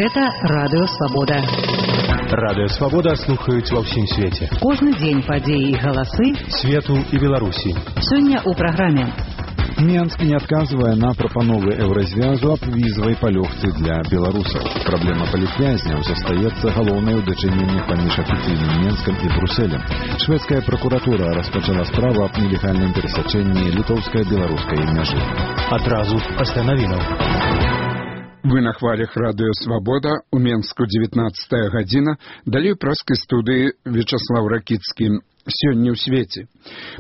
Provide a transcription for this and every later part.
Гэта Радыё Свабода. Радыё Свабода слухаюць ва ўсім свеце. Кожны дзень падзеі і галасы свету і Беларусі. Сёння ў праграме. Менск не адказвае на прапановы Еўразвязу аб візавай палёгцы для беларусаў. Праблема палітвязняў застаецца галоўнай у дачыненнях паміж афіцыйным Менскам і Брусэлем. Шведская пракуратура распачала справу аб нелегальным перасячэнні літоўска-беларускай мяжы. Адразу пасля навінаў. Вы на хвалях Радыё Свабода, у Менску 19 гадзіна, далей праскай студыі Вячаслав Ракіцкі. Сёння ў свеце.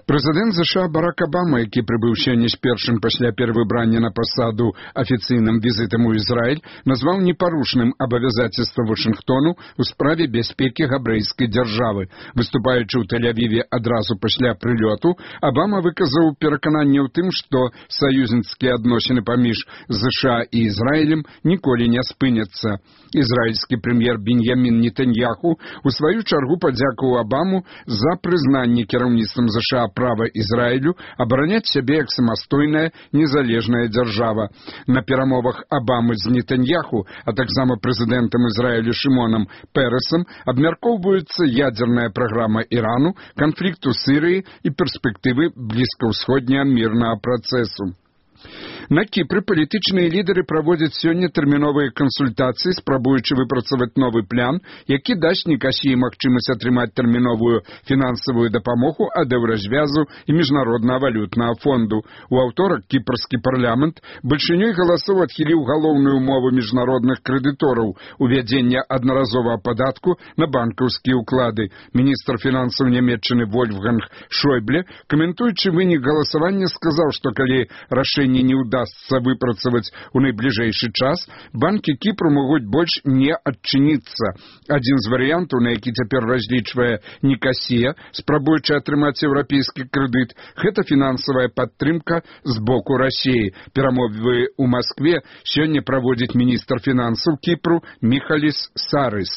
Прэзідэнт США Барак Абама, які прыбыў сёння з першым пасля перавыбрання на пасаду афіцыйным візітам у Ізраіль, назваў непарушным абавязацельства Вашынгтону ў справе бяспекі габрэйскай дзяржавы. Выступаючы ў Тель-Авіве адразу пасля прылёту, Абама выказаў перакананне ў тым, што саюзніцкія адносіны паміж США і Ізраілем ніколі не спыняцца. Ізраільскі прэм'ер Беньямін Нетаньяху у сваю чаргу падзякаваў Абаму за прызнанне кіраўніцтвам США права Ізраілю абараняць сябе як самастойная незалежная дзяржава. На перамовах Абамы з Нетаньяху, а таксама прэзідэнтам Ізраілю Шымонам Пересам абмяркоўваецца ядзерная праграма Ірану, канфлікт у Сірыі і перспектывы блізкаўсходняга мірнага працэсу. На Кіпры палітычныя лідары праводзяць сёння тэрміновыя кансультацыі, спрабуючы выпрацаваць новы план, які дасць Нікасіі магчымасць атрымаць тэрміновую фінансавую дапамогу ад Еўразвязу і міжнароднага валютнага фонду. У аўторак кіпрскі парламент бальшынёй галасоў адхіліў галоўную умову міжнародных крэдытораў увядзення аднаразовага падатку на банкаўскія ўклады. Міністр фінансаў Нямецчыны Вольфганг Шойбле, каментуючы вынік галасавання, сказаў, што калі рашэнне не удастся выпрацаваць у найбліжэйшы час, банкі Кіпру могуць больш не адчыніцца. Адзін з варыянтаў, на які цяпер разлічвае Нікасія, спрабуючы атрымаць еўрапейскі крэдыт, гэта фінансавая падтрымка з боку Расіі. Перамовы ў Маскве сёння праводзіць міністр фінансаў Кіпру Міхаліс Сарыс.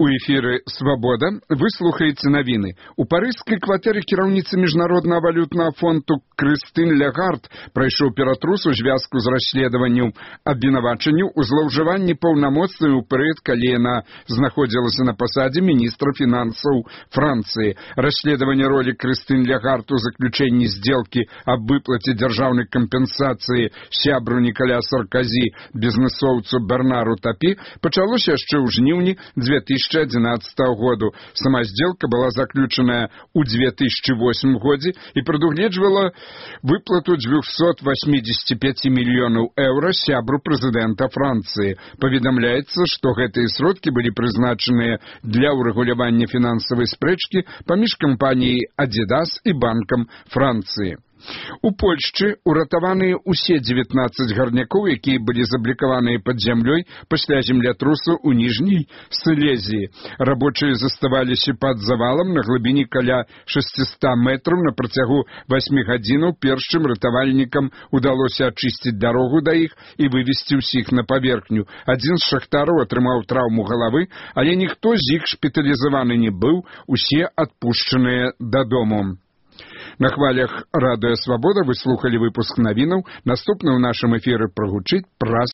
У эфіры «Свабода» вы слухаеце навіны. У парыжскай кватэры кіраўніцы міжнароднага валютнага фонду Крыстын Лягард прайшоў ператрус у звязку з расследаваннем абвінавачанняў у злоўжыванні паўнамоцтвамі ў перыяд, калі яна знаходзілася на пасадзе міністра фінансаў Францыі. Расследаванне ролі Крыстын Лягард у заключэнні здзелкі аб выплаце дзяржаўнай кампенсацыі сябру Нікаля Сарказі, бізнесоўцу Бернару Тапі, пачалося яшчэ ў жніўні 2011 году. Сама сделка была заключена ў 2008 годзе і прадугледжвала выплату 285 мільёнаў еўра сябру прэзідэнта Францыі. Паведамляецца, што гэтыя сродкі былі прызначаныя для ўрэгулявання фінансавай спрэчкі паміж кампаніяй Адидас і банкам Францыі. У Польшчы уратаваныя ўсе 19 гарнякоў, якія былі заблікаваныя пад зямлёй пасля землятрусу ў Ніжняй Сілезіі. Рабочыя заставаліся пад завалам на глыбіні каля 600 метраў на працягу 8 гадзінаў, перш чым ратавальнікам удалося ачысціць дарогу да іх і вывесці ўсіх на паверхню. Адзін з шахтараў атрымаў траўму галавы, але ніхто з іх шпіталізаваны не быў, усе адпушчаныя дадому. На хвалях Радыё Свабода вы слухали выпуск навінаў. Наступны ў нашым эфіры прагучыць праз